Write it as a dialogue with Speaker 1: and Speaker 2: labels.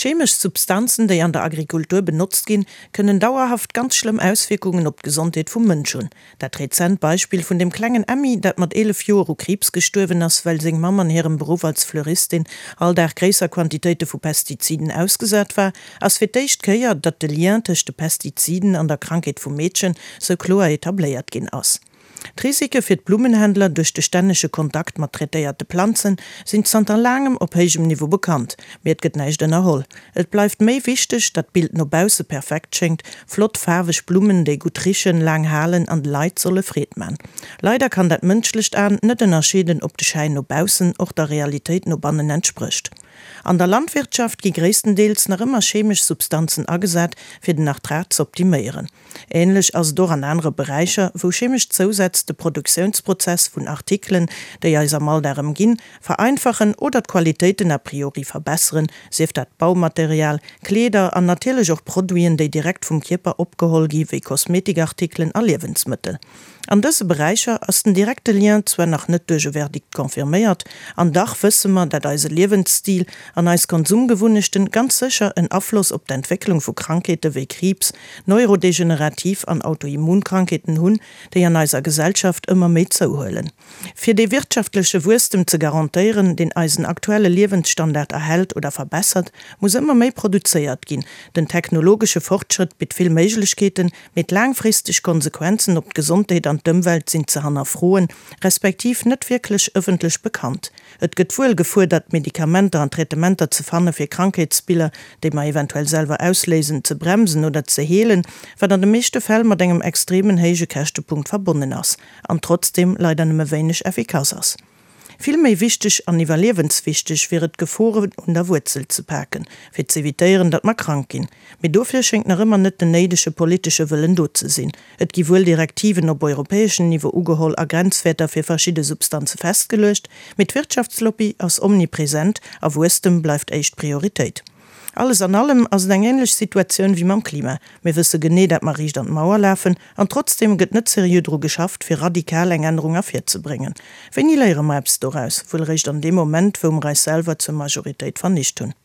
Speaker 1: Chemesch Substanzen, déi an der Agrikultur benotzt ginn, kënnen dauerhaft ganz schlëmm Auswierkungen op d'Gesondheet vum Mënsch hunn. Dat rezent Beispill vun dem klengen Emmy, dat mat 11 Joer u Kriibs gestuerwen ass, well seng Mamm an hirem Beruff als Fleuristin all Dag gréisser Quantitéite vu Pestiziden ausgesat war, ass fir d'éischt Kéier, datt de Lien tëscht de Pestiziden an der Krankheet vum Meedchen sou kloer etabléiert ginn ass. D'Risike fir d'Blummenhändler duerch de stännege Kontakt mat traitéierte Planzen sinn zanter laangem op héijem Niveau bekannt, mee et gëtt näischt ënnerholl. Et bleift méi wichteg, datt d'Bild no bausse perfekt schéngt, flott faarweg Blummen, déi gutt richen, laang halen an de Leit solle Freed man. Leider kann dat mënschlecht An net ënnerscheeden, ob de Schäin no baussen och der Realitéit no bannen entsprécht. An der Landwirtschaft gi gréisstendeels nach ëmmer chemesch Substanzen agesat, fir den Ertrag z'optiméieren. Ähnlech ass et och an anere Beräicher, wou chemesch Zousätz de Produktiounsprozess vun Artikelen, déi eis am Alldag ëmginn, vereinfachen oder d'Qualitéiten a priori verbesseren, sief dat Baumaterial, Kleeder an natierlech och Produiten, déi direkt vum Kierper opgeholl gi wéi Kosmetikartikelen a Liewensmëttel. An dëse Beräicher ass den direkte Lien zwar nach net duerch e Verdikt confirméiert, an dach wësse mer, dat eise Liewensstil an eis Konsumgewunnechten ganz sécher en Afloss op d'Entwécklung vu Krankheete wéi Kriibs, neurodegenerativ an Autoimmunkrankheeten hunn, déi an eiser Gesellschaft ëmmer méi zouhuelen. Fir dee wirtschaftleche Wuesstem ze garantéieren, deen eisen aktuelle Liewensstandard erhält oder verbessert, muss ëmmer méi produzéiert ginn. Den technologesche Fortschrëtt bitt vill Méiglechkeeten, Mee d'laangfristeg Konsequenzen op d'Gesondheet an d'Ëmwelt sinn ze hannerfroen, respektiv net wierklech ëffentlech bekannt. Et gëtt wuel gefuerdert, Medikamenter an Traitementer ze fanne fir Krankheetsbiller, déi mer eventuell selwer ausléisen, ze bremsen oder ze heelen, wat an de meeschte Fäll mat engem extremen héije Käschtepunkt verbonnen ass an trotzdeem leider nëmme wéineg effikass ass. Vill méi wichteg an iwwerliewenswichteg wier et d'Geforen un der Wuerzel ze paken, fir z'evitéieren, datt mer krank ginn. Mee dofir schéngt nach ëmmer net den néidege politesche Wëllen do ze sinn. Et gi wuel Direktiven op europäeschem Niveau ugeholl a Grenzwäerter fir verschidde Substanze festgeluecht, mee d'Wirtschaftslobby ass omnipresent a Wuesstem bleift éischt Prioritéit. Alles an allem ass et eng änlech Situatioun wéi mam Klima. Mir wësse genee, dat mer riicht an d'Mauer lafen, an trotzdeem gëtt net seriö dru geschafft, fir radikal eng Ännerung ervirzebréngen. Wéini léiere mer eppes doraus? Wuel eréischt an deem Moment, wou mer eis selwer zur Majoritéit vernicht hunn.